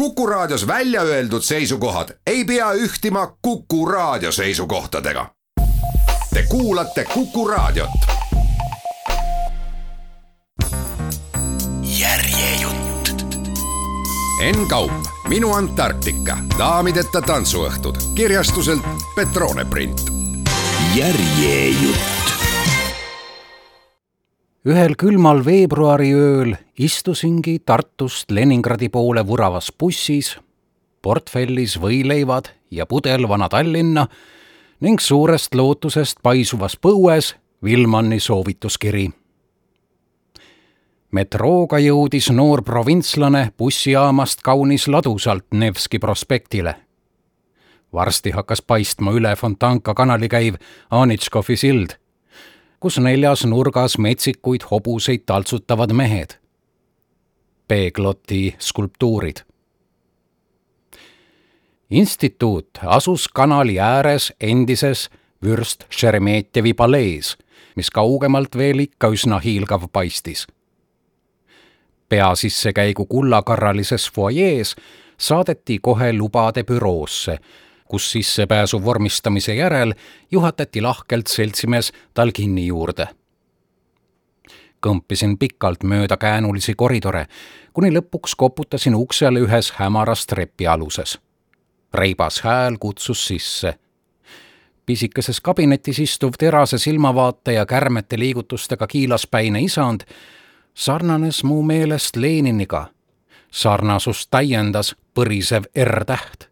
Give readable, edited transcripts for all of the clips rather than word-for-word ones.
Kuku Raadios välja öeldud seisukohad ei pea ühtima Kuku Raadio seisukohtadega. Te kuulate Kuku Raadiot. Järjejutt. Enn Kaup, Minu Antarktika, daamideta tantsuõhtud, kirjastuselt Petrone Print. Järjejutt. Ühel külmal veebruariööl istusingi Tartust Leningradi poole vuravas bussis, portfellis võileivad ja pudel Vana-Tallinna ning suurest lootusest paisuvas põues Villmanni soovituskiri. Metrooga jõudis noor provintslane bussijaamast kaunis ladusalt Nevski prospektile. Varsti hakkas paistma üle Fontanka kanali käiv Anitškovi sild, kus neljas nurgas metsikuid hobuseid taltsutavad mehed. Peegloti skulptuurid. Instituut asus kanali ääres endises Vürst Šeremetjevi palees, mis kaugemalt veel ikka üsna hiilgav paistis. Pea sissekäigu kullakarralises foajees saadeti kohe lubade büroosse, kus sissepääsu vormistamise järel juhatati lahkelt seltsimees Talginni juurde. Kõmpisin pikalt mööda käänulisi koridore, kuni lõpuks koputasin uksele ühes hämaras trepi aluses. Reibas hääl kutsus sisse. Pisikeses kabinetis istuv terase silmavaate ja kärmete liigutustega kiilaspäine isand sarnanes mu meelest Leniniga. Sarnasust täiendas põrisev R-täht.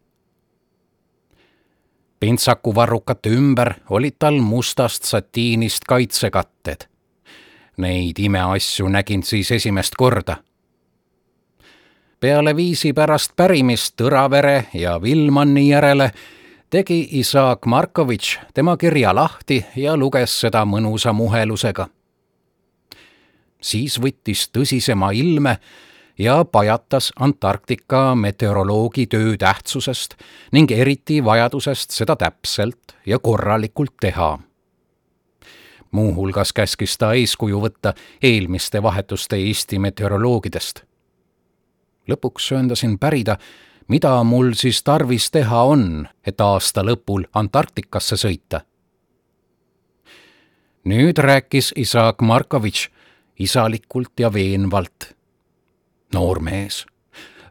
Pintsakuvarrukate ümber olid tal mustast satiinist kaitsekatted. Neid imeasju nägin siis esimest korda. Peale viisi pärast pärimist Tõravere ja Villmanni järele tegi Isaak Markovitš tema kirja lahti ja luges seda mõnusa muhelusega. Siis võttis tõsisema ilme ja pajatas Antarktika meteoroloogi töö tähtsusest ning eriti vajadusest seda täpselt ja korralikult teha. Muuhulgas käskis ta eeskuju võtta eelmiste vahetuste Eesti meteoroloogidest. Lõpuks sööndasin pärida, mida mul siis tarvis teha on, et aasta lõpul Antarktikasse sõita. Nüüd rääkis Isaak Markovitš isalikult ja veenvalt. Noor mees,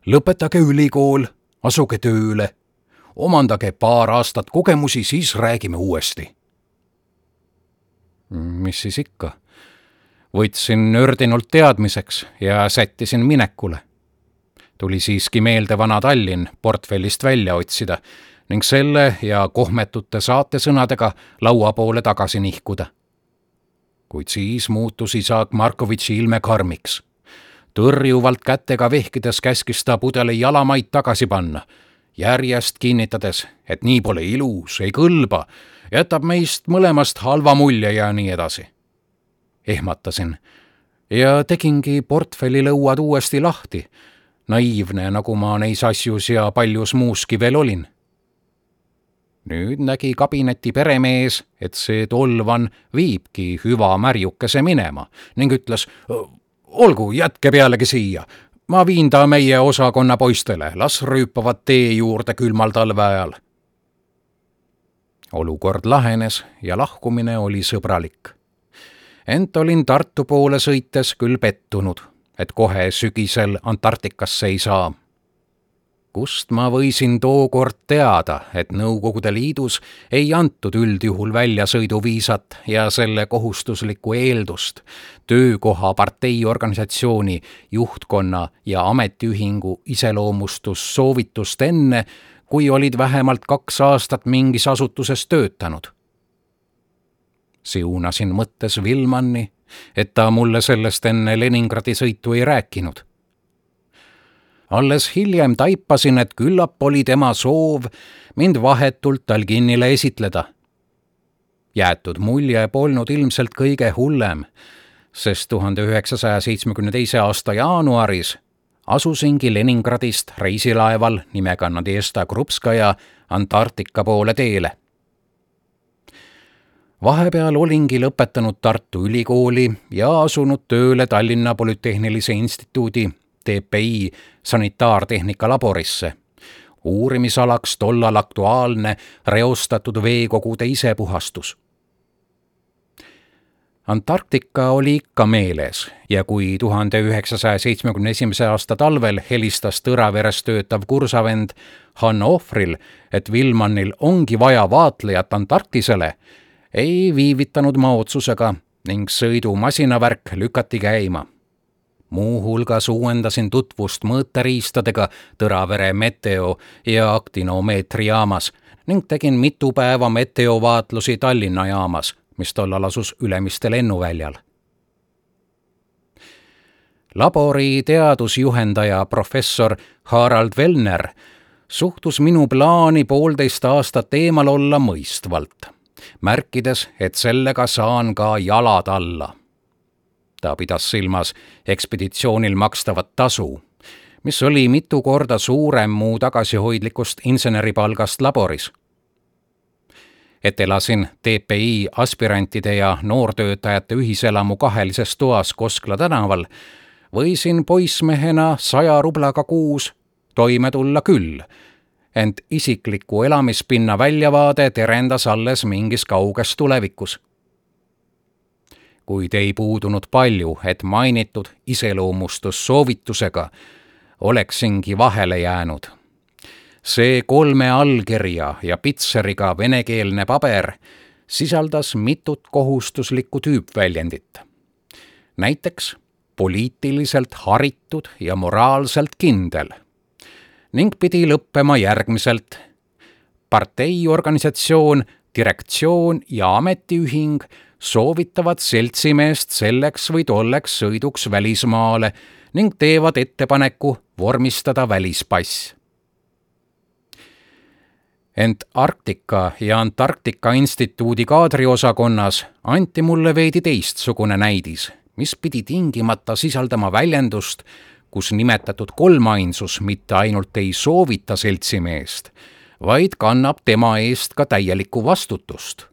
lõpetage ülikool, asuge tööle, omandage paar aastat kogemusi, siis räägime uuesti. Mis siis ikka? Võtsin nördinult teadmiseks ja sättisin minekule. Tuli siiski meelde Vana-Tallinn portfellist välja otsida ning selle ja kohmetute saatesõnadega laua poole tagasi nihkuda. Kuid siis muutus Isaak Markovitši ilme karmiks. Tõrjuvalt kätega vehkides käskis ta pudeli jalamaid tagasi panna, järjest kinnitades, et nii pole ilus, ei kõlba, jätab meist mõlemast halva mulje ja nii edasi. Ehmatasin ja tegingi portfelli lõuad uuesti lahti, naiivne, nagu ma neis asjus ja paljus muuski veel olin. Nüüd nägi kabineti peremees, et see tolvan viibki hüva märjukese minema ning ütles, olgu, jätke pealegi siia. Ma viin ta meie osakonna poistele, las rüüpavad tee juurde külmal talve ajal. Olukord lahenes ja lahkumine oli sõbralik. Ent olin Tartu poole sõites küll pettunud, et kohe sügisel Antarktikasse ei saa. Kust ma võisin tookord teada, et Nõukogude Liidus ei antud üldjuhul väljasõiduviisat ja selle kohustuslikku eeldust töökoha parteiorganisatsiooni, juhtkonna ja ametiühingu iseloomustussoovitust enne, kui olid vähemalt 2 aastat mingis asutuses töötanud. Siunasin mõttes Villmanni, et ta mulle sellest enne Leningradi sõitu ei rääkinud. Alles hiljem taipasin, et küllap oli tema soov mind vahetult Talginnile esitleda. Jäetud mulje polnud ilmselt kõige hullem, sest 1972. aasta jaanuaris asusingi Leningradist reisilaeval nimega Nadežda Krupskaja Antarktika poole teele. Vahepeal olingi lõpetanud Tartu Ülikooli ja asunud tööle Tallinna Polütehnilise Instituudi TPI sanitaartehnika laborisse. Uurimisalaks tollal aktuaalne reostatud veekogude isepuhastus. Antarktika oli ikka meeles ja kui 1971. aasta talvel helistas Tõraveres töötav kursavend Hanno Ohvril, et Vilmannil ongi vaja vaatlejat Antarktisele, ei viivitanud ma otsusega ning sõidumasinavärk lükati käima. Muuhulgas uuendasin tutvust mõõteriistadega Tõravere meteo- ja aktinomeetri jaamas ning tegin mitu päeva meteovaatlusi Tallinna jaamas, mis tollal asus Ülemiste lennuväljal. Labori teadusjuhendaja professor Harald Wellner suhtus minu plaani 1,5 aastat eemal olla mõistvalt, märkides, et sellega saan ka jalad alla. Ta pidas silmas ekspeditsioonil makstavat tasu, mis oli mitu korda suurem mu tagasihoidlikust inseneripalgast laboris. Et elasin TPI aspirantide ja noortöötajate ühiselamu kahelises toas Koskla tänaval, võisin poissmehena 100 rublaga kuus toime tulla küll, ent isikliku elamispinna väljavaade terendas alles mingis kauges tulevikus. Kuid ei puudunud palju, et mainitud iseloomustussoovitusega oleksingi vahele jäänud. See 3 allkirja ja pitseriga venekeelne paber sisaldas mitut kohustuslikku tüüpväljendit. Näiteks poliitiliselt haritud ja moraalselt kindel ning pidi lõppema järgmiselt: parteiorganisatsioon, direktsioon ja ametiühing soovitavad seltsimeest selleks või tolleks sõiduks välismaale ning teevad ettepaneku vormistada välispass. Ent Arktika ja Antarktika instituudi kaadriosakonnas anti mulle veidi teistsugune näidis, mis pidi tingimata sisaldama väljendust, kus nimetatud kolmainsus mitte ainult ei soovita seltsimeest, vaid kannab tema eest ka täielikku vastutust.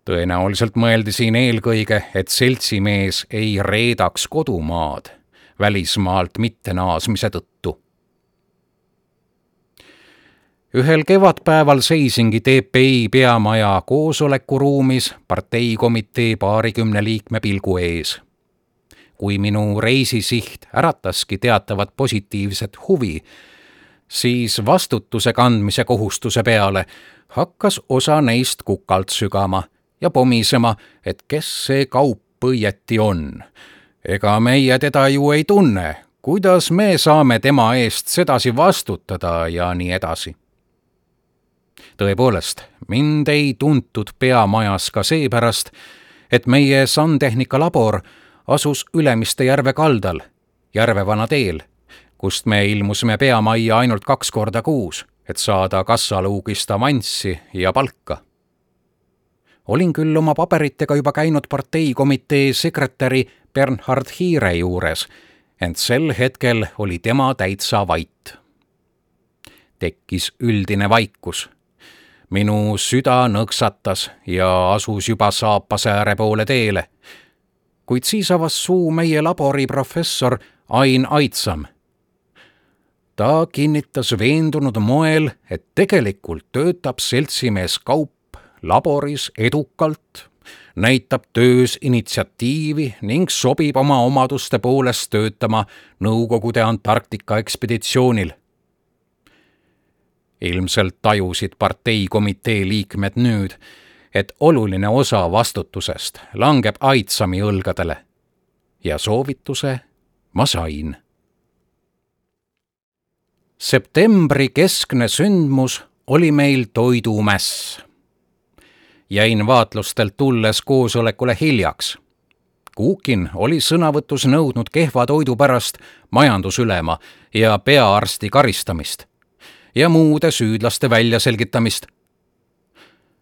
Tõenäoliselt mõeldi siin eelkõige, et seltsimees ei reedaks kodumaad välismaalt mitte naasmise tõttu. Ühel kevadpäeval seisingi TPI peamaja koosolekuruumis parteikomitee 20 liikme pilgu ees. Kui minu reisisiht ärataski teatavat positiivset huvi, siis vastutuse kandmise kohustuse peale hakkas osa neist kukalt sügama ja pomisema, et kes see kaup õieti on. Ega meie teda ju ei tunne, kuidas me saame tema eest sedasi vastutada ja nii edasi. Tõepoolest, mind ei tuntud peamajas ka seepärast, et meie sandtehnika labor asus Ülemiste järve kaldal, Järvevana teel, kust me ilmusime peamajja ainult 2 korda kuus, et saada kassaluugist avanssi ja palka. Olin küll oma paberitega juba käinud parteikomitee sekretäri Bernhard Hiire juures, ent sel hetkel oli tema täitsa vait. Tekkis üldine vaikus. Minu süda nõksatas ja asus juba Saapasääre poole teele, kuid siis avas suu meie labori professor Ain Aitsam. Ta kinnitas veendunud moel, et tegelikult töötab seltsimees Kaup laboris edukalt, näitab töös initsiatiivi ning sobib oma omaduste poolest töötama Nõukogude Antarktika ekspeditsioonil. Ilmselt tajusid parteikomitee liikmed nüüd, et oluline osa vastutusest langeb Aitsami õlgadele ja soovituse ma sain. Septembri keskne sündmus oli meil toidumäss. Jäin vaatlustelt tulles koosolekule hiljaks. Kuukin oli sõnavõtus nõudnud kehva toidu pärast majandusülema ja peaarsti karistamist ja muude süüdlaste väljaselgitamist.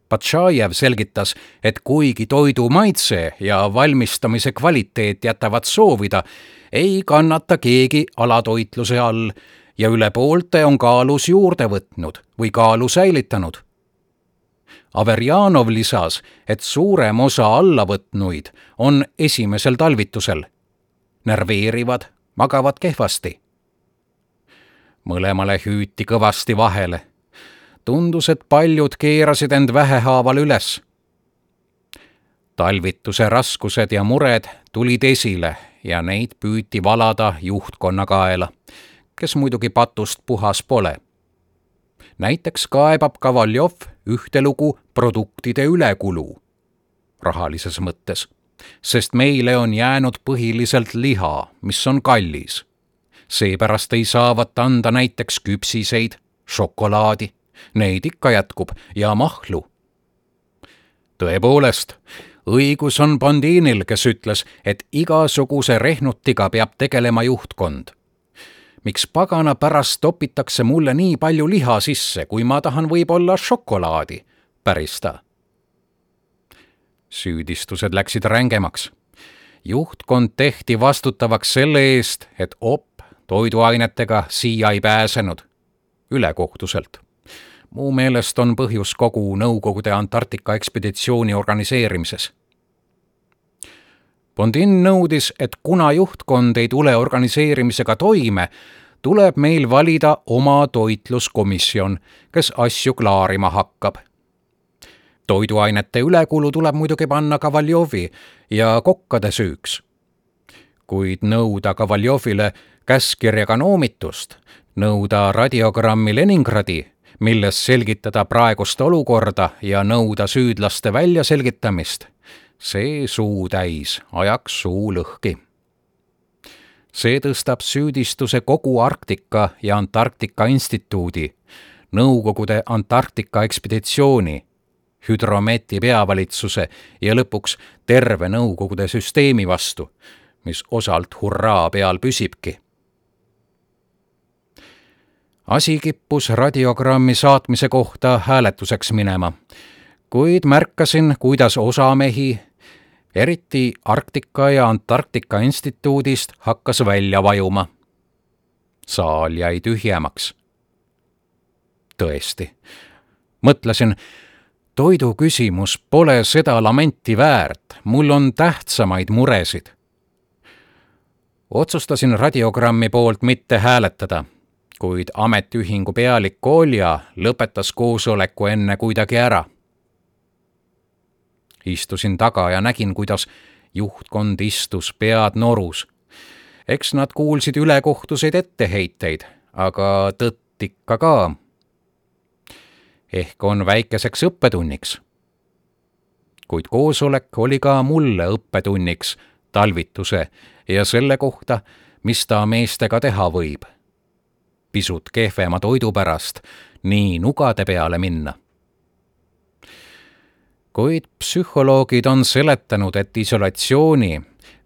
Patšajev selgitas, et kuigi toidu maitse ja valmistamise kvaliteet jätavad soovida, ei kannata keegi alatoitluse all ja üle poolte on kaalus juurde võtnud või kaalu säilitanud. Averjanov lisas, et suurem osa allavõtnuid on esimesel talvitusel. Nerveerivad, magavad kehvasti. Mõlemale hüüti kõvasti vahele. Tundus, et paljud keerasid end vähehaaval üles. Talvituse raskused ja mured tulid esile ja neid püüti valada juhtkonna kaela, kes muidugi patust puhas pole. Näiteks kaebab Kovaljov ühte lugu produktide ülekulu, rahalises mõttes, sest meile on jäänud põhiliselt liha, mis on kallis. Seepärast ei saavat anda näiteks küpsiseid, šokolaadi, neid ikka jätkub, ja mahlu. Tõepoolest, õigus on Bondinil, kes ütles, et igasuguse rehnutiga peab tegelema juhtkond. Miks pagana pärast topitakse mulle nii palju liha sisse, kui ma tahan võib-olla šokolaadi, päris ta. Süüdistused läksid rängemaks. Juhtkond tehti vastutavaks selle eest, et toiduainetega siia ei pääsenud, ülekohtuselt. Muu meelest on põhjus kogu Nõukogude Antarktika ekspeditsiooni organiseerimises. Bondin nõudis, et kuna juhtkond ei tule organiseerimisega toime, tuleb meil valida oma toitluskomisjon, kes asju klaarima hakkab. Toiduainete ülekulu tuleb muidugi panna Kovaljovi ja kokkade süüks. Kuid nõuda Kovaljovile käskkirjaga noomitust, nõuda radiogrammi Leningradi, milles selgitada praegust olukorda ja nõuda süüdlaste väljaselgitamist, see suu täis, ajaks suu lõhki. See tõstab süüdistuse kogu Arktika ja Antarktika instituudi, Nõukogude Antarktika ekspeditsiooni, Hüdrometi peavalitsuse ja lõpuks terve Nõukogude süsteemi vastu, mis osalt hurraa peal püsibki. Asi kippus radiogrammi saatmise kohta hääletuseks minema, kuid märkasin, kuidas osa mehi, eriti Arktika ja Antarktika instituudist, hakkas välja vajuma. Saal jäi tühjemaks. Tõesti, mõtlesin, toidu küsimus pole seda lamenti väärt, mul on tähtsamaid muresid. Otsustasin radiogrammi poolt mitte hääletada, kuid ametiühingu pealik Kolja lõpetas koosoleku enne kuidagi ära. Istusin taga ja nägin, kuidas juhtkond istus pead norus. Eks nad kuulsid ülekohtuseid etteheiteid, aga tõtt ikka ka. Ehk on väikeseks õppetunniks. Kuid koosolek oli ka mulle õppetunniks talvituse ja selle kohta, mis ta meestega teha võib. Pisut kehvema toidu pärast nii nugade peale minna. Kuid psühholoogid on seletanud, et isolatsiooni,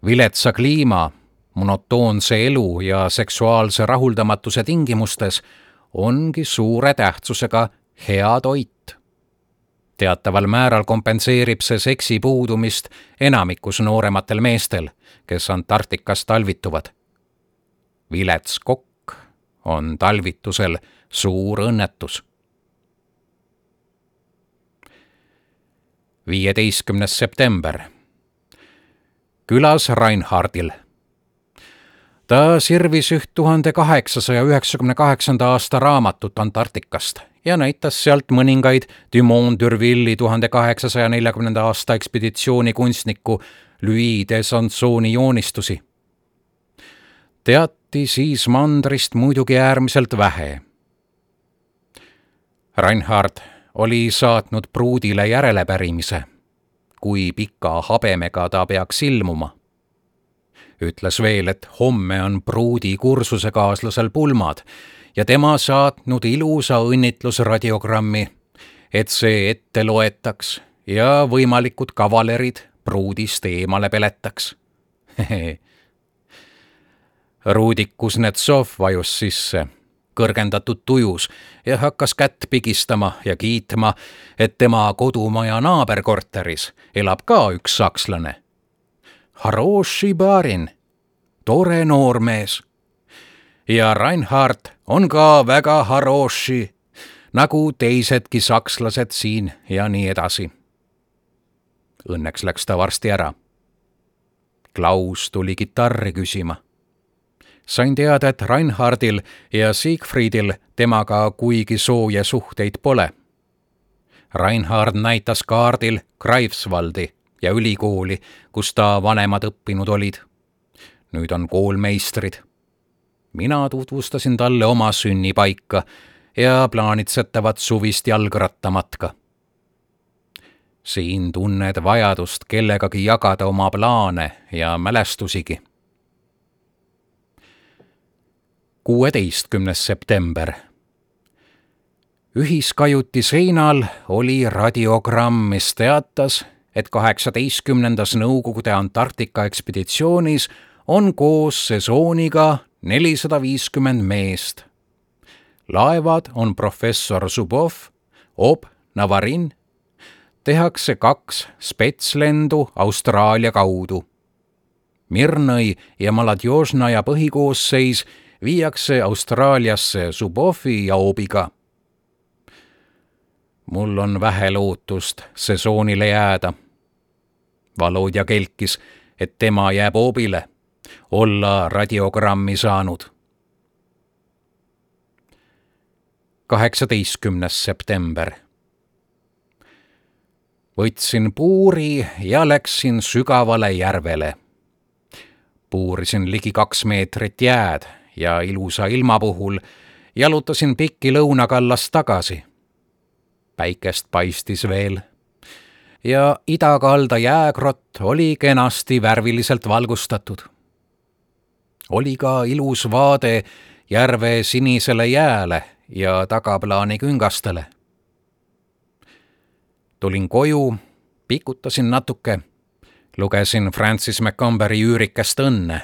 viletsa kliima, monotoonse elu ja seksuaalse rahuldamatuse tingimustes ongi suure tähtsusega hea toit. Teataval määral kompenseerib see seksi puudumist enamikus noorematel meestel, kes Antarktikas talvituvad. Vilets kokk on talvitusel suur õnnetus. 15. september. Külas Reinhardil. Ta sirvis 1898. aasta raamatut Antarktikast ja näitas sealt mõningaid Dumont d'Urville'i 1840. aasta ekspeditsiooni kunstniku Louis de Sansoni joonistusi. Teati siis mandrist muidugi äärmiselt vähe. Reinhard oli saatnud pruudile järelepärimise, kui pika habemega ta peaks ilmuma. Ütles veel, et homme on pruudi kursusekaaslasel pulmad ja tema saatnud ilusa õnnitlusradiogrammi, et see ette loetaks ja võimalikud kavalerid pruudist eemale peletaks. Rudi Kuznetsov vajus sisse, kõrgendatud tujus ja hakkas kätt pigistama ja kiitma, et tema kodumaja naaberkorteris elab ka üks sakslane. Haroši barin, tore noormees. Ja Reinhard on ka väga haroši, nagu teisedki sakslased siin ja nii edasi. Õnneks läks ta varsti ära. Klaus tuli kitarri küsima. Sain teada, et Reinhardil ja Siegfriedil temaga kuigi sooja suhteid pole. Reinhard näitas kaardil Greifswaldi ja ülikooli, kus ta vanemad õppinud olid. Nüüd on koolmeistrid. Mina tutvustasin talle oma sünnipaika ja plaanitsetavat suvist jalgrattamatka. Siin tunned vajadust kellegagi jagada oma plaane ja mälestusigi. 16. september. Ühiskajuti seinal oli radiogramm, mis teatas, et 18. Nõukogude Antarktika ekspeditsioonis on koos sesooniga 450 meest. Laevad on professor Zubov, Ob, Navarin. Tehakse 2 spetslendu Austraalia kaudu. Mirnõi ja Maladjožnaja põhikoosseis viiakse Austraaliasse Zubovi ja Obiga. Mul on vähe lootust sesoonile jääda. Volodja kelkis, et tema jääb Obile, olla radiogrammi saanud. 18. september. Võtsin puuri ja läksin sügavale järvele. Puurisin ligi 2 meetrit jääd ja ilusa ilma puhul jalutasin pikki lõunakallast tagasi. Päikest paistis veel ja idakalda jäägrott oli kenasti värviliselt valgustatud. Oli ka ilus vaade järve sinisele jääle ja tagaplaani küngastele. Tulin koju, pikutasin natuke, lugesin Francis McComberi üürikest Õnne.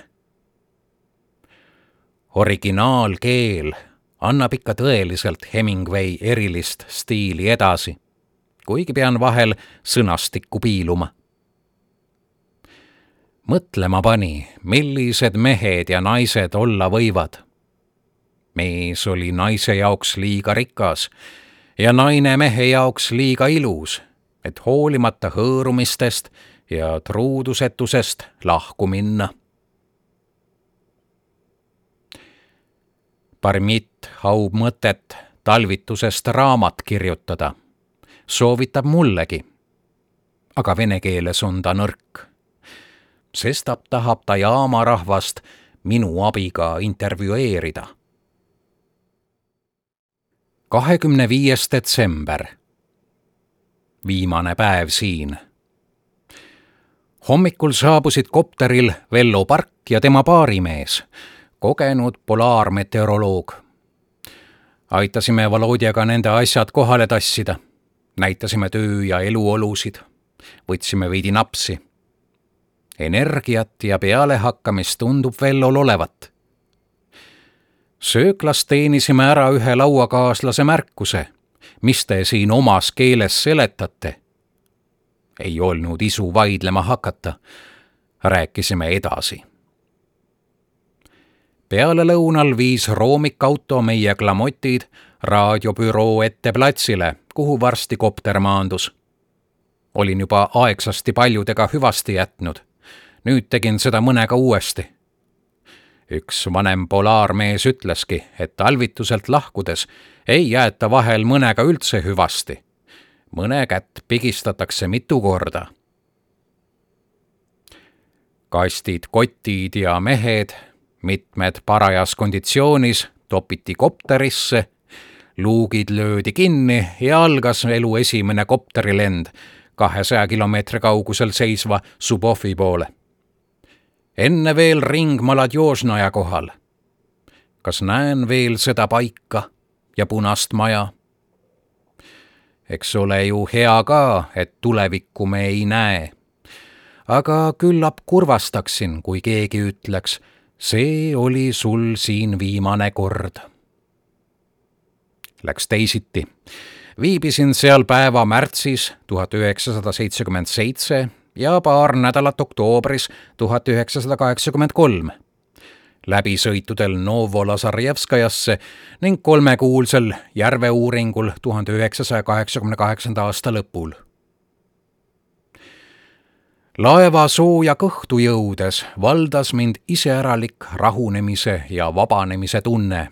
Originaalkeel annab ikka tõeliselt Hemingway erilist stiili edasi, kuigi pean vahel sõnastikku piiluma. Mõtlema pani, millised mehed ja naised olla võivad. Mees oli naise jaoks liiga rikas ja naine mehe jaoks liiga ilus, et hoolimata hõõrumistest ja truudusetusest lahku minna. Parmit haub mõtet talvitusest raamat kirjutada. Soovitab mullegi, aga vene keeles on ta nõrk. Sestap tahab ta jaama rahvast minu abiga intervjueerida. 25. detsember. Viimane päev siin. Hommikul saabusid kopteril Vello Park ja tema baarimees, kogenud polaarmeteoroloog. Aitasime Volodjaga nende asjad kohale tassida. Näitasime töö- ja eluolusid. Võtsime veidi napsi. Energiat ja pealehakkamist tundub Vellol olevat. Sööklas teenisime ära ühe lauakaaslase märkuse. Mis te siin omas keeles seletate? Ei olnud isu vaidlema hakata. Rääkisime edasi. Peale lõunal viis roomikauto meie klamotid raadiobüroo ette platsile, kuhu varsti kopter maandus. Olin juba aegsasti paljudega hüvasti jätnud. Nüüd tegin seda mõnega uuesti. Üks vanem polaarmees ütleski, et talvituselt lahkudes ei jäeta vahel mõnega üldse hüvasti. Mõne kätt pigistatakse mitu korda. Kastid, kotid ja mehed, mitmed parajas konditsioonis, topiti kopterisse, luugid löödi kinni ja algas elu esimene kopterilend 200 kilomeetri kaugusel seisva Zubovi poole. Enne veel ring Maladjožnaja kohal. Kas näen veel seda paika ja punast maja? Eks ole ju hea ka, et tulevikku me ei näe. Aga küllap kurvastaksin, kui keegi ütleks, see oli sul siin viimane kord. Läks teisiti. Viibisin seal päeva märtsis 1977 ja paar nädalat oktoobris 1983. Läbisõitudel Novolazarjevskajasse ning 3-kuulsel järveuuringul 1988. aasta lõpul. Laeva sooja kõhtu jõudes valdas mind iseäralik rahunemise ja vabanemise tunne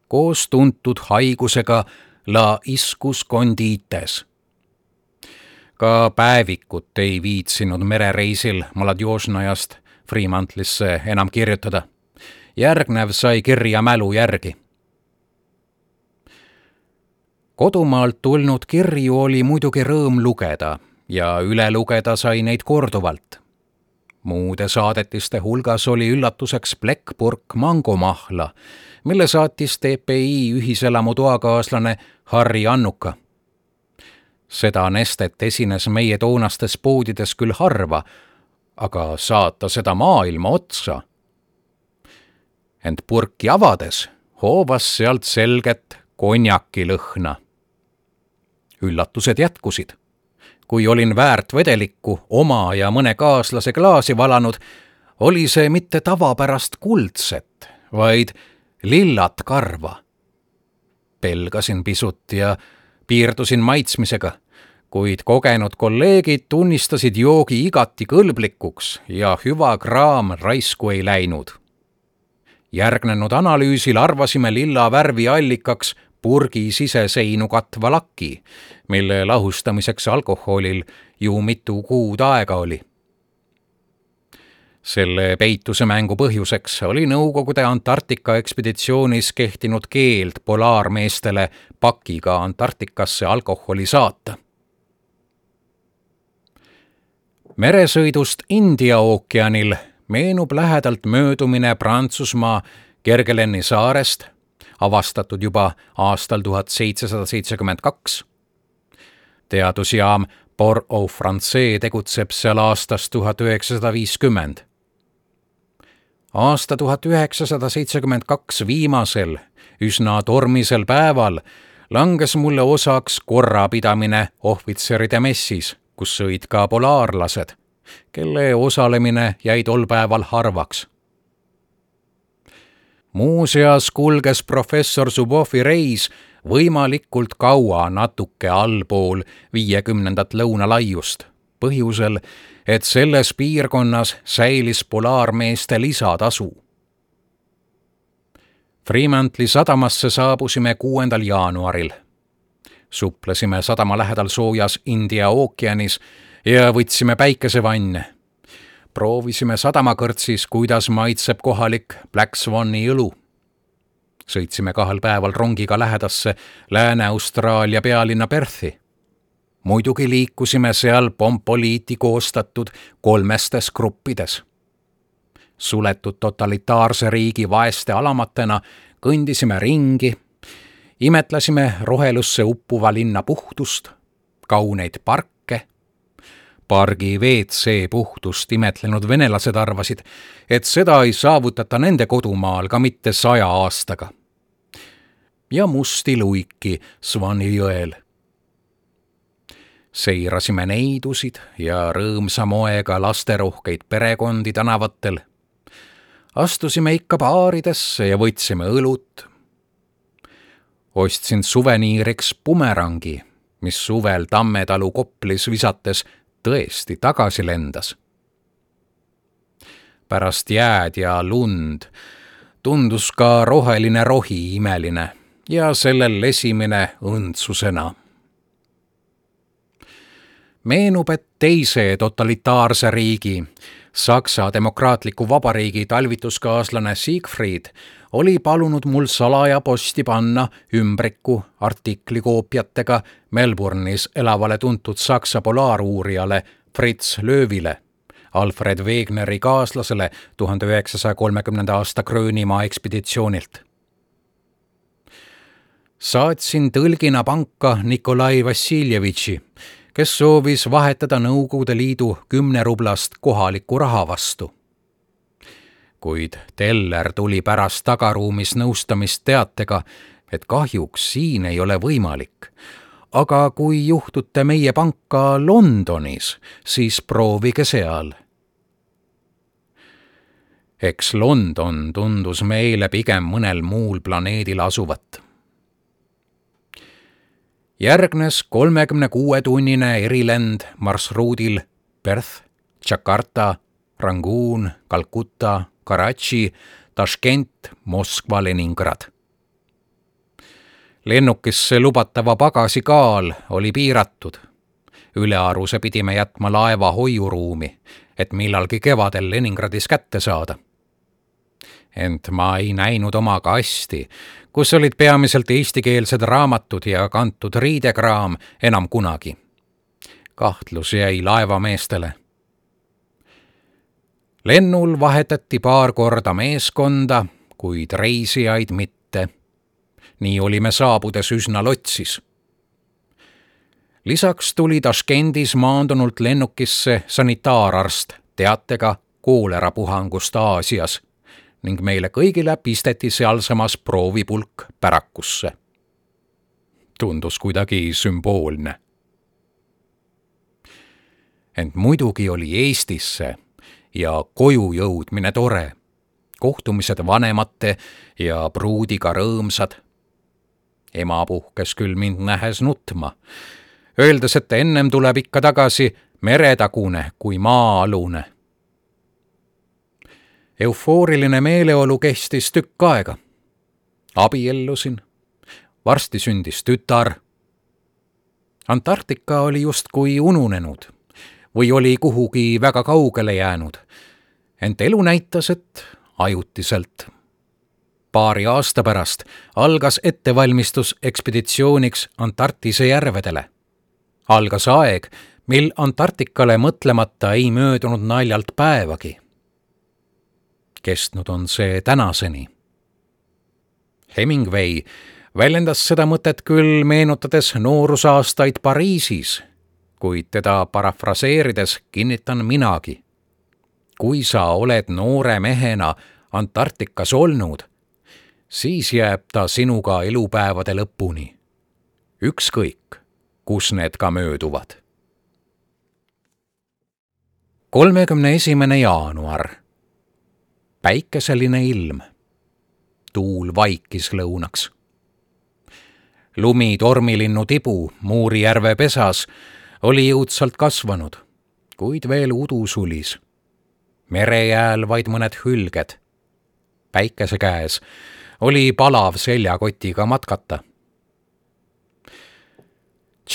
koos tuntud haigusega la iscus condites. Ka päevikut ei viitsinud merereisil Maladjožnajast Fremantlisse enam kirjutada. Järgnev sai kirja mälu järgi. Kodumaalt tulnud kirju oli muidugi rõõm lugeda ja üle lugeda sai neid korduvalt. Muude saadetiste hulgas oli üllatuseks plekkpurk mangomahla, mille saatis TPI ühiselamu toakaaslane Harri Annuka. Seda nestet esines meie toonastes poodides küll harva, aga saata seda maailma otsa. Ent purki avades hoovas sealt selget konjaki lõhna. Üllatused jätkusid. Kui olin väärt vedelikku oma ja mõne kaaslase klaasi valanud, oli see mitte tavapärast kuldset, vaid lillat karva. Pelgasin pisut ja piirdusin maitsmisega, kuid kogenud kolleegid tunnistasid joogi igati kõlblikuks ja hüva kraam raisku ei läinud. Järgnenud analüüsil arvasime lilla värvi allikaks purgi siseseinu katva laki, mille lahustamiseks alkoholil ju mitu kuud aega oli. Selle peituse mängu põhjuseks oli Nõukogude Antarktika ekspeditsioonis kehtinud keeld polaarmeestele pakiga Antarktikasse alkoholi saata. Meresõidust India ookeanil meenub lähedalt möödumine Prantsusmaa Kergueleni saarest, avastatud juba aastal 1772. Teadusjaam Port-au-Français tegutseb seal aastast 1950. Aasta 1972 viimasel, üsna tormisel päeval langes mulle osaks korrapidamine ohvitseride messis, kus sõid ka polaarlased, kelle osalemine jäi tol päeval harvaks. Muuseas kulges professor Zubovi reis võimalikult kaua natuke allpool 50. lõunalaiust, põhjusel, et selles piirkonnas säilis polaarmeeste lisatasu. Fremantli sadamasse saabusime 6. jaanuaril. Suplesime sadama lähedal soojas India ookeanis ja võtsime päikesevanne. Proovisime sadamakõrtsis, kuidas maitseb kohalik Black Swani õlu. Sõitsime 2 päeval rongiga lähedasse Lääne-Austraalia pealinna Perthi. Muidugi liikusime seal Pompoliiti koostatud 3 gruppides. Suletud totalitaarse riigi vaeste alamatena kõndisime ringi, imetlesime rohelusse uppuva linna puhtust, kauneid parke. Pargi WC puhtust imetlenud venelased arvasid, et seda ei saavutata nende kodumaal ka mitte 100 aastaga. Ja musti luiki Swani jõel. Seirasime neidusid ja rõõmsa moega lasterohkeid perekondi tänavatel. Astusime ikka baaridesse ja võtsime õlut. Ostsin suveniiriks bumerangi, mis suvel Tammetalu Koplis visates tõesti tagasi lendas. Pärast jääd ja lund tundus ka roheline rohi imeline ja sellel lesimine õndsusena. Meenub, et teise totalitaarse riigi, Saksa Demokraatliku Vabariigi talvituskaaslane Siegfried oli palunud mul salaja posti panna ümbriku artiklikoopiatega Melbourne'is elavale tuntud Saksa polaaruurijale Fritz Löövile, Alfred Wegeneri kaaslasele 1930. aasta Gröönimaa ekspeditsioonilt. Saatsin tõlgina panka Nikolai Vassiljevitši, kes soovis vahetada Nõukogude Liidu 10 rublast kohaliku raha vastu. Kuid teller tuli pärast tagaruumis nõustamist teatega, et kahjuks siin ei ole võimalik. Aga kui juhtute meie panka Londonis, siis proovige seal. Eks London tundus meile pigem mõnel muul planeedil asuvat. Järgnes 36-tunnine erilend marsruudil Perth, Jakarta, Rangoon, Calcutta, Karachi, Taškent, Moskva, Leningrad. Lennukisse lubatava pagasi kaal oli piiratud. Ülearuse pidime jätma laeva hoiuruumi, et millalgi kevadel Leningradis kätte saada. Ent ma ei näinud oma kasti, kus olid peamiselt eestikeelsed raamatud ja kantud riidekraam enam kunagi. Kahtlus jäi laevameestele. Lennul vahetati paar korda meeskonda, kuid reisijaid mitte. Nii olime saabudes üsna lotsis. Lisaks tuli Taškendis maandunult lennukisse sanitaararst teatega koolerapuhangust Aasias ning meile kõigile pisteti sealsamas proovipulk pärakusse. Tundus kuidagi sümboolne. Ent muidugi oli Eestisse ja koju jõudmine tore. Kohtumised vanemate ja pruudiga rõõmsad. Ema puhkes küll mind nähes nutma, öeldes, et ennem tuleb ikka tagasi meretagune kui maa-alune. Eufooriline meeleolu kestis tükk aega. Abiellusin. Varsti sündis tütar. Antarktika oli justkui ununenud või oli kuhugi väga kaugele jäänud, ent elu näitas, et ajutiselt. Paari aasta pärast algas ettevalmistus ekspeditsiooniks Antarktise järvedele. Algas aeg, mil Antarktikale mõtlemata ei möödunud naljalt päevagi. Kestnud on see tänaseni. Hemingway väljendas seda mõtet küll meenutades noorusaastaid Pariisis, kuid teda parafraseerides kinnitan minagi. Kui sa oled noore mehena Antarktikas olnud, siis jääb ta sinuga elupäevade lõpuni. Ükskõik, kus need ka mööduvad. 31. jaanuar. Päikeseline ilm. Tuul vaikis lõunaks. Lumi tormilinnu tibu Muurijärve pesas oli jõudsalt kasvanud, kuid veel udu sulis. Merejääl vaid mõned hülged. Päikese käes oli palav seljakotiga matkata.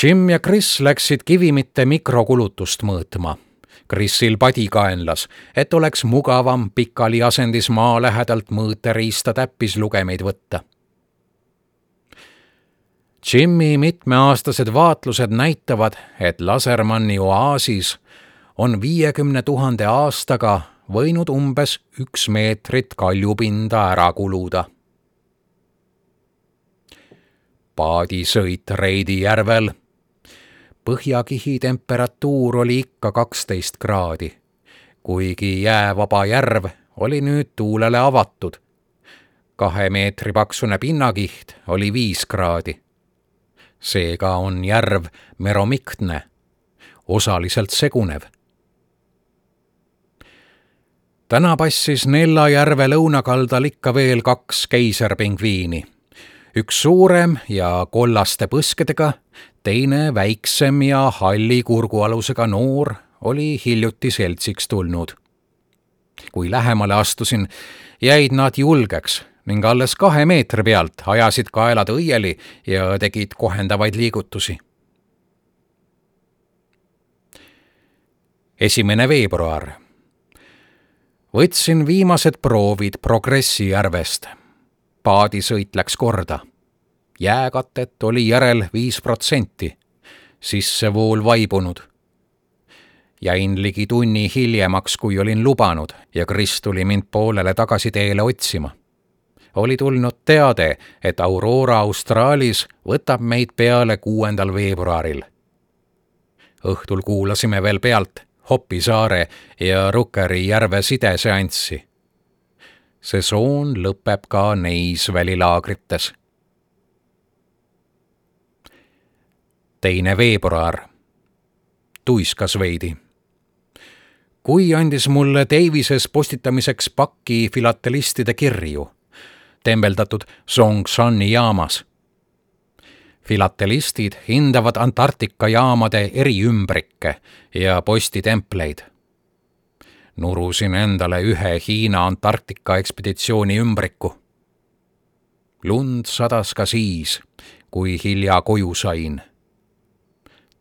Jim ja Chris läksid kivimitte mikrokulutust mõõtma. Chrisil padikaenlas, et oleks mugavam pikali asendis maa lähedalt mõõteriista täppislugemeid võtta. Jimmy mitmeaastased vaatlused näitavad, et Lasermanni oaasis on 50 000 aastaga võinud umbes 1 meetrit kaljupinda ära kuluda. Paadisõit Reidi järvel. Põhjakihi temperatuur oli ikka 12 kraadi, kuigi jäävaba järv oli nüüd tuulele avatud. 2 meetri paksune pinnakiht oli 5 kraadi. Seega on järv meromiktne, osaliselt segunev. Täna passis Nella järve lõunakaldal ikka veel 2 keiserpingviini. Üks suurem ja kollaste põskedega, teine väiksem ja halli kurgualusega noor oli hiljuti seltsiks tulnud. Kui lähemale astusin, jäid nad julgeks ning alles 2 meetri pealt ajasid kaelad õieli ja tegid kohendavaid liigutusi. 1. veebruar. Võtsin viimased proovid Progressi järvest. Paadisõit läks korda. Jääkatet oli järel 5%, sissevool vaibunud. Jäin ligi tunni hiljemaks, kui olin lubanud, ja Chris tuli mind poolele tagasi teele otsima. Oli tulnud teade, et Aurora Australis võtab meid peale 6. veebruaril. Õhtul kuulasime veel pealt Hoppi saare ja Rukkeri järve sideseanssi. Sesoon lõpeb ka neis välilaagrites. 2. veebruar. Tuiskas veidi. Kui andis mulle Davises postitamiseks pakki filatelistide kirju, tembeldatud Zhongshan'i jaamas. Filatelistid hindavad Antarktika jaamade eriümbrikke ja postitempleid. Nurusin endale ühe Hiina Antarktika ekspeditsiooni ümbriku. Lund sadas ka siis, kui hilja koju sain.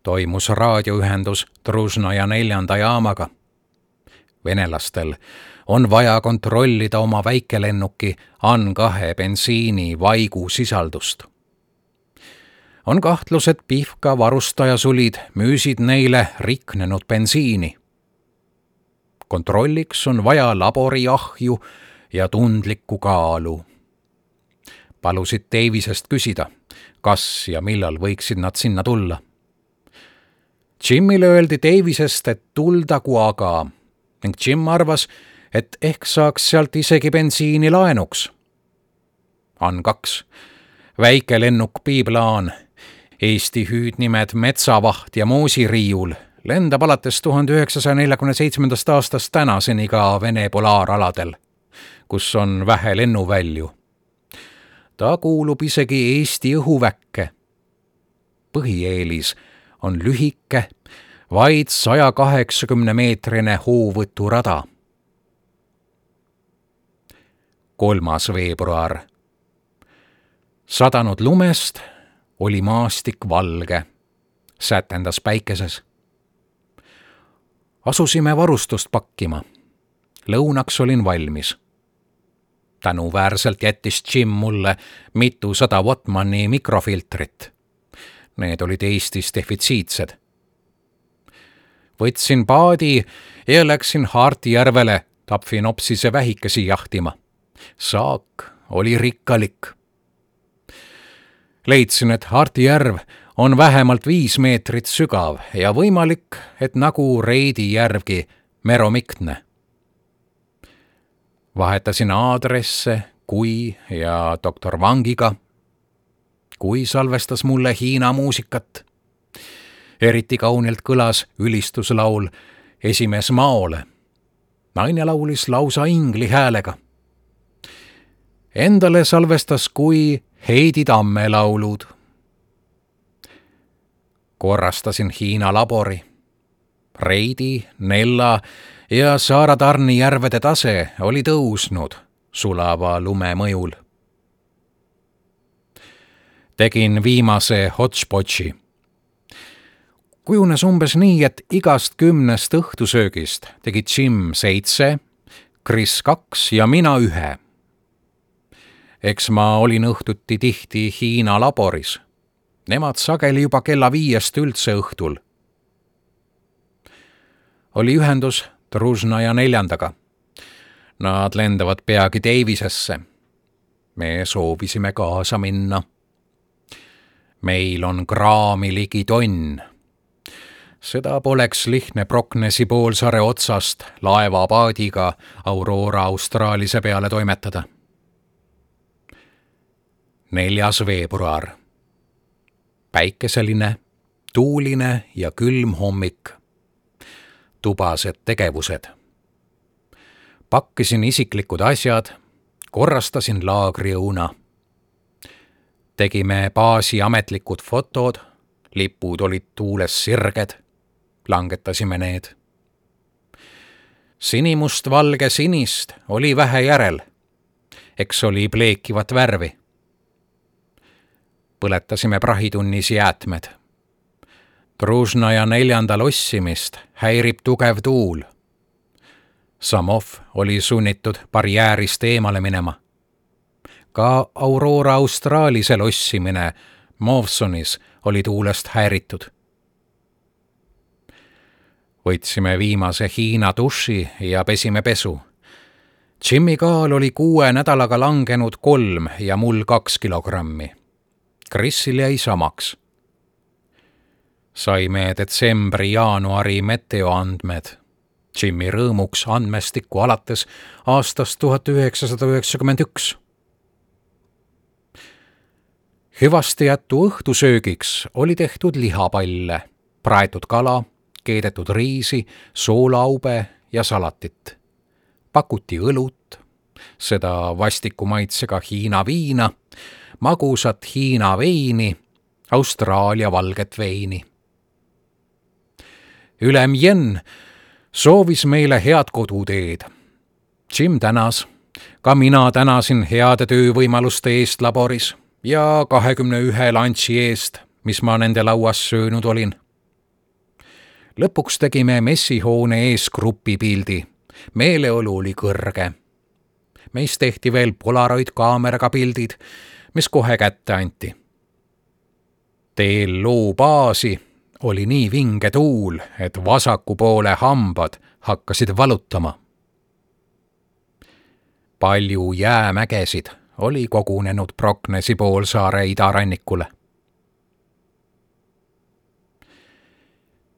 Toimus raadioühendus Druzhnaja 4. jaamaga. Venelastel on vaja kontrollida oma väikelennuki An-2 bensiini vaigu sisaldust. On kahtlus, et Pihka varustajasulid müüsid neile riknenud bensiini. Kontrolliks on vaja laboriahju ja tundlikku kaalu. Palusid Davisest küsida, kas ja millal võiksid nad sinna tulla. Jimile öeldi Davisest, et tuldagu aga, ning Jim arvas, et ehk saaks sealt isegi bensiini laenuks. An-2, väikelennuk Biplaan, Eesti hüüdnimed Metsavaht ja Moosiriiul, lendab alates 1947. aastast tänaseni ka Vene polaaraladel, kus on vähe lennuvälju. Ta kuulub isegi Eesti õhuväkke. Põhieelis on lühike, vaid 180-meetrine hoovõturada. 3. veebruar. Sadanud lumest oli maastik valge, sätendas päikeses. Asusime varustust pakkima. Lõunaks olin valmis. Tänuväärselt jättis Jim mulle mitusada Wattmanni mikrofiltrit. Need olid Eestis defitsiitsed. Võtsin paadi ja läksin Haartijärvele Tapfinopsise vähikesi jahtima. Saak oli rikkalik. Leidsin, et Haartijärv on vähemalt 5 meetrit sügav ja võimalik, et nagu Reidi järvgi meromiktne. Vahetasin aadresse Kui ja doktor Vangiga. Kui salvestas mulle Hiina muusikat. Eriti kaunilt kõlas ülistuslaul Esimees Maole. Naine laulis lausa ingli häälega. Endale salvestas Kui Heidi Tamme laulud. Korrastasin Hiina labori. Reidi, Nella ja Saaratarni järvede tase oli tõusnud sulava lume mõjul. Tegin viimase hotspotši. Kujunes umbes nii, et igast 10 õhtusöögist tegi Jim 7, Chris 2 ja mina 1. Eks ma olin õhtuti tihti Hiina laboris. Nemad sageli juba kella 5 üldse õhtul. Oli ühendus Druzhnaja 4. Nad lendavad peagi Davisesse. Me soovisime kaasa minna. Meil on kraami ligi tonn. Seda poleks lihtne Brocknesi poolsaare otsast laevapaadiga Aurora Austraalise peale toimetada. 4. veebruar. Päikeseline, tuuline ja külm hommik. Tubased tegevused. Pakkisin isiklikud asjad, korrastasin laagriõuna. Tegime baasi ametlikud fotod, lipud olid tuules sirged, langetasime need. Sinimust-valge sinist oli vähe järel, eks oli pleekivat värvi. Põletasime prahitunnis jäätmed. Druzhnaja 4. lossimist häirib tugev tuul. Samov oli sunnitud barjäärist eemale minema. Ka Aurora Austraalise lossimine Mawsonis oli tuulest häiritud. Võtsime viimase Hiina duši ja pesime pesu. Jimmy kaal oli 6 nädalaga langenud 3 ja mul 2 kilogrammi. Chrisil jäi samaks. Saime detsembri-jaanuari meteoandmed. Jimmy rõõmuks andmestikku alates aastast 1991. Hüvastijätu õhtusöögiks oli tehtud lihapalle, praetud kala, keedetud riisi, soolaube ja salatit. Pakuti õlut, seda vastiku maitsega Hiina viina, magusat Hiina veini, Austraalia valget veini. Ülem Jen soovis meile head koduteed. Jim tänas, ka mina tänasin heade töövõimaluste eest laboris ja 21 lunchi eest, mis ma nende lauas söönud olin. Lõpuks tegime messihoone ees grupipildi. Meeleolu oli kõrge. Meist tehti veel Polaroid kaameraga pildid, mis kohe kätte anti. Teel loo baasi oli nii vinge tuul, et vasaku poole hambad hakkasid valutama. Palju jäämägesid oli kogunenud Brocknesi poolsaare idarannikule.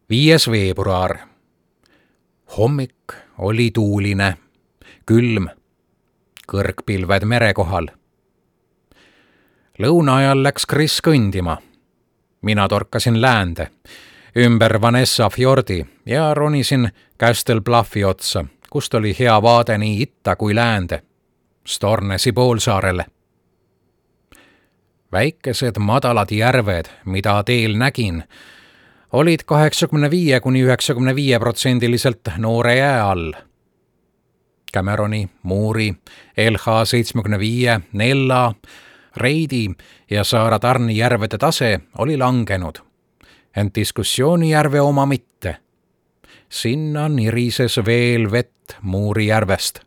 5. veebruar. Hommik oli tuuline, külm, kõrgpilved mere kohal. Lõuna ajal läks Chris kõndima. Mina torkasin läände, ümber Vanessa fjordi ja ronisin Castle Bluffi otsa, kust oli hea vaade nii itta kui läände, Stornesi poolsaarele. Väikesed madalad järved, mida teel nägin, olid 85–95% noore jää all. Cameroni, Moori, LH75, Nella, Reidi ja Saara Tarni järvede tase oli langenud, ent diskussioonijärve oma mitte. Sinna nirises veel vett Moori järvest.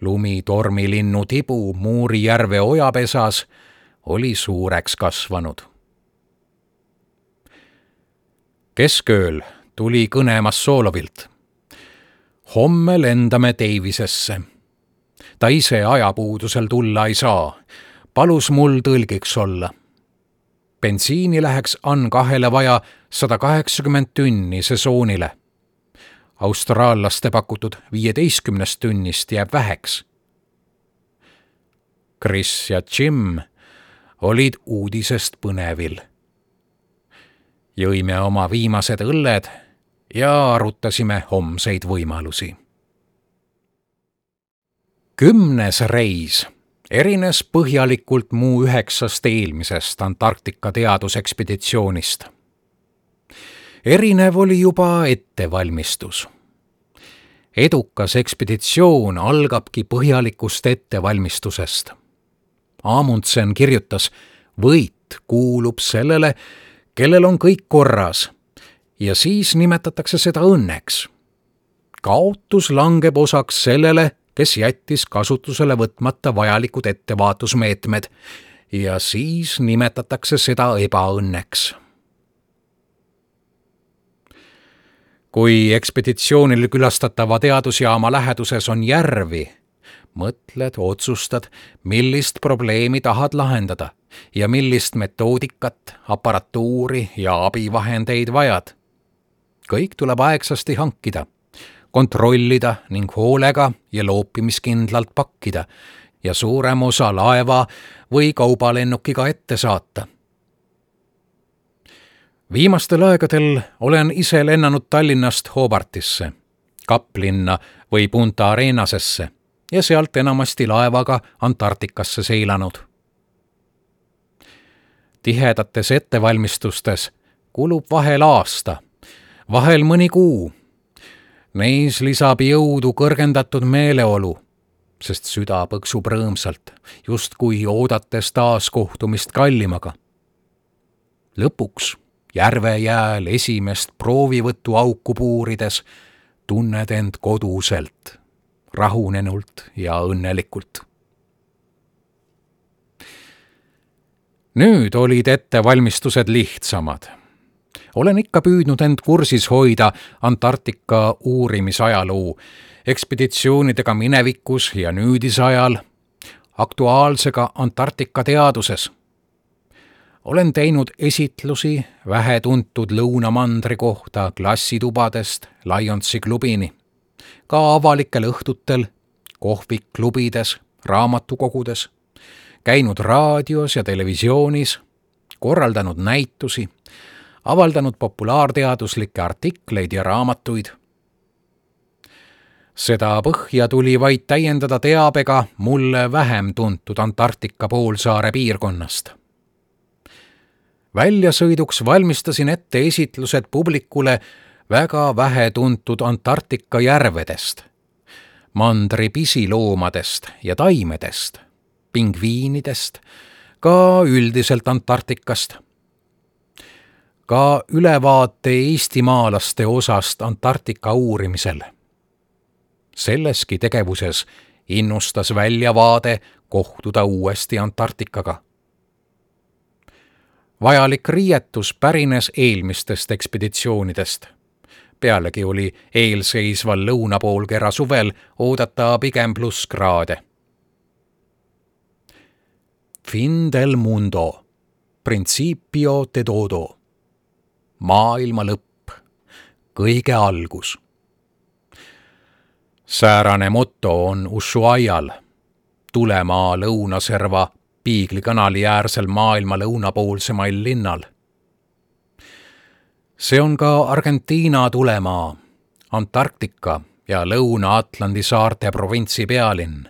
Lumitormilinnu tibu Moori järve ojapesas oli suureks kasvanud. Keskööl tuli kõnemas Soolovilt. Homme lendame Davisesse. Ta ise ajapuudusel tulla ei saa. Palus mul tõlgiks olla. Bensiini läheks An2-le vaja 180 tünni sesoonile. Austraallaste pakutud 15 tünnist jääb väheks. Chris ja Jim olid uudisest põnevil. Jõime oma viimased õlled ja arutasime homseid võimalusi. 10. reis erines põhjalikult muu 9 eelmisest Antarktika teadusekspeditsioonist. Erinev oli juba ettevalmistus. Edukas ekspeditsioon algabki põhjalikust ettevalmistusest. Amundsen kirjutas, võit kuulub sellele, kellel on kõik korras, ja siis nimetatakse seda õnneks. Kaotus langeb osaks sellele, kes jättis kasutusele võtmata vajalikud ettevaatusmeetmed, ja siis nimetatakse seda ebaõnneks. Kui ekspeditsioonil külastatava teadusjaama läheduses on järvi, mõtled, otsustad, millist probleemi tahad lahendada ja millist metoodikat, aparatuuri ja abivahendeid vajad. Kõik tuleb aegsasti hankida, kontrollida ning hoolega ja loopimiskindlalt pakkida ja suurem osa laeva või kaubalennukiga ette saata. Viimastel aegadel olen ise lennanud Tallinnast Hobartisse, Kaplinna või Punta Arenasesse ja sealt enamasti laevaga Antarktikasse seilanud. Tihedates ettevalmistustes kulub vahel aasta, vahel mõni kuu. Neis lisab jõudu kõrgendatud meeleolu, sest süda põksub rõõmsalt, justkui oodates taas kohtumist kallimaga. Lõpuks järvejääl esimest proovivõtu auku puurides tunned end koduselt, rahunenult ja õnnelikult. Nüüd olid ettevalmistused lihtsamad. Olen ikka püüdnud end kursis hoida Antarktika uurimisajaloo, ekspeditsioonidega minevikus ja nüüdisajal, aktuaalsega Antarktika teaduses. Olen teinud esitlusi vähetuntud lõunamandri kohta klassitubadest Lionsi klubini, ka avalikel õhtutel, kohvikklubides, raamatukogudes, käinud raadios ja televisioonis, korraldanud näitusi, avaldanud populaarteaduslikke artikleid ja raamatuid. Seda põhja tuli vaid täiendada teabega mulle vähem tuntud Antarktika poolsaare piirkonnast. Väljasõiduks valmistasin ette esitlused publikule väga vähe tuntud Antarktika järvedest, mandri pisiloomadest ja taimedest, pingviinidest, ka üldiselt Antarktikast. Ka ülevaate eestimaalaste osast Antarktika uurimisel. Selleski tegevuses innustas väljavaade kohtuda uuesti Antarktikaga. Vajalik riietus pärines eelmistest ekspeditsioonidest. Pealegi oli eelseisval lõunapoolkera suvel oodata pigem plusskraade. Fin del mundo, principio de todo. Maailma lõpp, kõige algus. Säärane motto on Ushuaial, tulemaa lõunaserva Piigli kanali äärsel maailma lõunapoolsemail linnal. See on ka Argentiina tulemaa, Antarktika ja Lõuna-Atlandi saarte provintsi pealinn,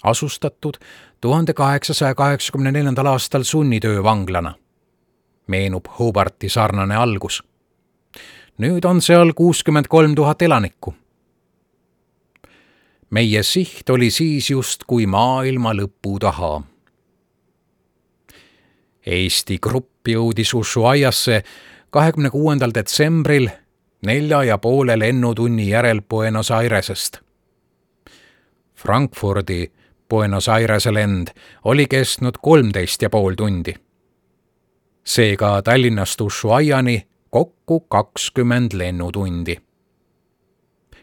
asustatud 1884. aastal sunnitöövanglana. Meenub Hobarti sarnane algus. Nüüd on seal 63 000 elanikku. Meie siht oli siis just kui maailma lõpu taha. Eesti grupp jõudis Ushuaiasse 26. detsembril 4,5 lennutunni järel Buenos Airesest. Frankfurdi Buenos Airese lend oli kestnud 13,5 tundi. Seega Tallinnast Ushuaiani kokku 20 lennutundi.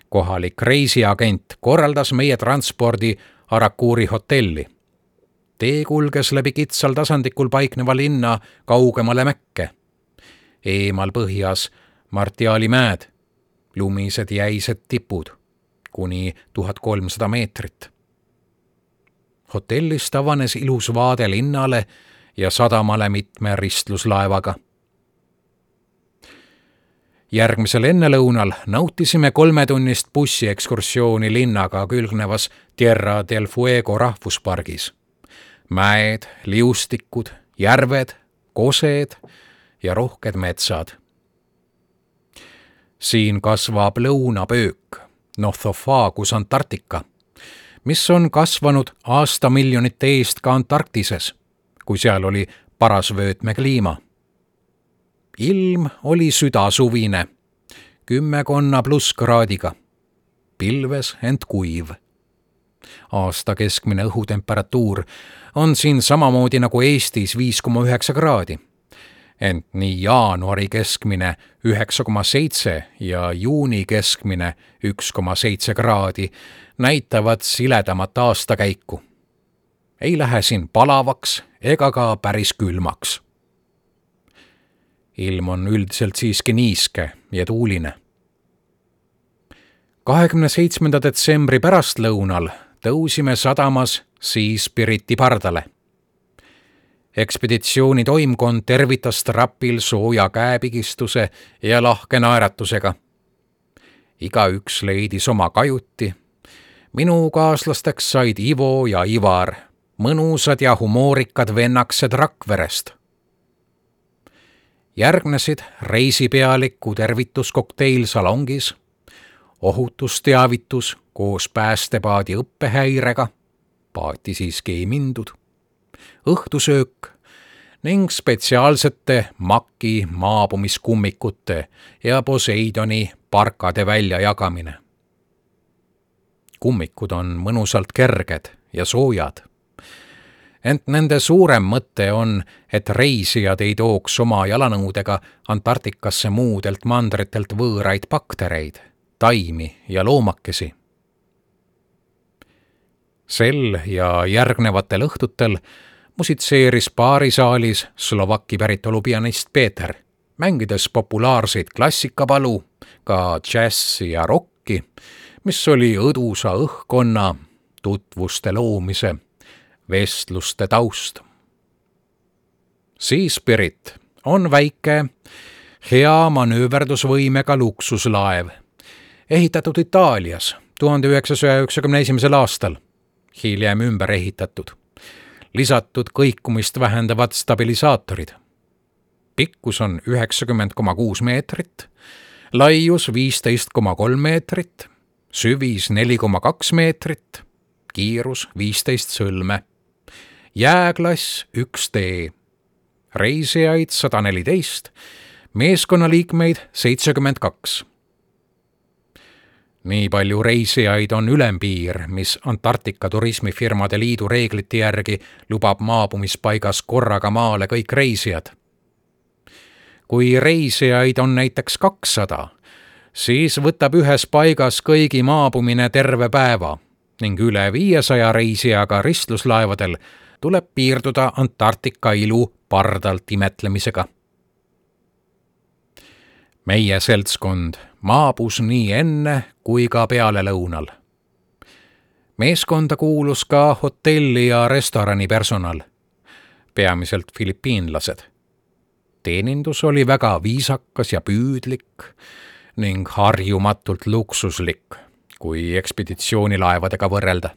Kohalik reisiagent korraldas meie transpordi Arakuuri hotelli. Tee kulges läbi kitsal tasandikul paikneva linna kaugemale Mäkke. Eemal põhjas Martiali mäed, lumised jäised tipud, kuni 1300 meetrit. Hotellist avanes ilus vaade linnale ja sadamale mitme ristluslaevaga. Järgmisel ennelõunal nautisime 3-tunnist bussiekskursiooni linnaga külgnevas Tierra del Fuego rahvuspargis. Mäed, liustikud, järved, kosed ja rohked metsad. Siin kasvab lõunapöök, Nothofagus antarctica, mis on kasvanud aastamiljonite eest ka Antarktises, kui seal oli parasvöötme kliima. Ilm oli südasuvine, 10 plusskraadiga, pilves ent kuiv. Aasta keskmine õhutemperatuur on siin samamoodi nagu Eestis 5,9 kraadi. Ent nii jaanuari keskmine 9,7 ja juuni keskmine 1,7 kraadi näitavad siledamat aastakäiku. Ei lähe siin palavaks ega ka päris külmaks. Ilm on üldiselt siiski niiske ja tuuline. 27. detsembri pärastlõunal tõusime sadamas Seaspiriti pardale. Ekspeditsiooni toimkond tervitas trapil sooja käepigistuse ja lahke naeratusega. Igaüks leidis oma kajuti. Minu kaaslasteks said Ivo ja Ivar, mõnusad ja humoorikad vennaksed Rakverest. Järgnesid reisipealiku tervituskokteil salongis, ohutusteavitus koos päästepaadi õppehäirega, paati siiski ei mindud, õhtusöök ning spetsiaalsete Maki maabumiskummikute ja Poseidoni parkade väljajagamine. Kummikud on mõnusalt kerged ja soojad. Ent nende suurem mõte on, et reisijad ei tooks oma jalanõudega Antarktikasse muudelt mandritelt võõraid baktereid, taimi ja loomakesi. Sel ja järgnevatel õhtutel musitseeris baarisaalis Slovaki päritolu pianist Peeter, mängides populaarseid klassikapalu, ka džässi ja rocki, mis oli õdusa õhkkonna, tutvuste loomise, vestluste taust. Seaspirit on väike, hea manööverdusvõimega luksuslaev, ehitatud Itaalias 1991. aastal, hiljem ümber ehitatud, lisatud kõikumist vähendavad stabilisaatorid. Pikkus on 90,6 meetrit, laius 15,3 meetrit, süvis 4,2 meetrit, kiirus 15 sõlme, jääklass 1D, reisijaid 114, meeskonnaliikmeid 72. Nii palju reisijaid on ülempiir, mis Antarktika turismifirmade liidu reeglite järgi lubab maabumispaigas korraga maale kõik reisijad. Kui reisijaid on näiteks 200, siis võtab ühes paigas kõigi maabumine terve päeva ning üle 500 reisijaga ristluslaevadel tuleb piirduda Antarktika ilu pardalt imetlemisega. Meie seltskond maabus nii enne kui ka peale lõunal. Meeskonda kuulus ka hotelli ja restorani personal, peamiselt filipiinlased. Teenindus oli väga viisakas ja püüdlik ning harjumatult luksuslik, kui ekspeditsioonilaevadega võrrelda.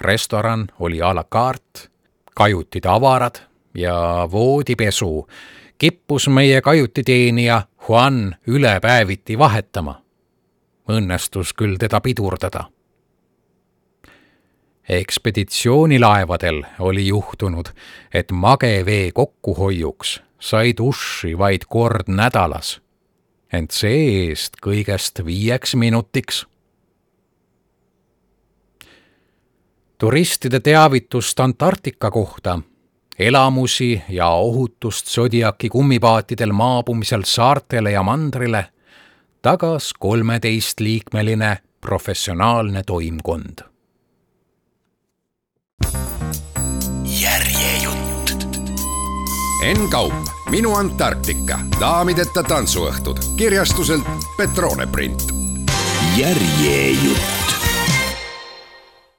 Restoran oli à la carte, kajutid avarad ja voodipesu kippus meie kajutiteenija Juan ülepäeviti vahetama. Õnnestus küll teda pidurdada. Ekspeditsioonilaevadel oli juhtunud, et magevee kokkuhoiuks sai duši vaid kord nädalas, ent see-eest kõigest 5 minutiks. Turistide teavitust Antarktika kohta, elamusi ja ohutust Zodiaki kummipaatidel maabumisel saartele ja mandrile tagas 13-liikmeline professionaalne toimkond. Järjejutt. Enn Kaup, Minu Antarktika, daamideta tantsuõhtud, kirjastuselt Petrone Print. Järjejutt.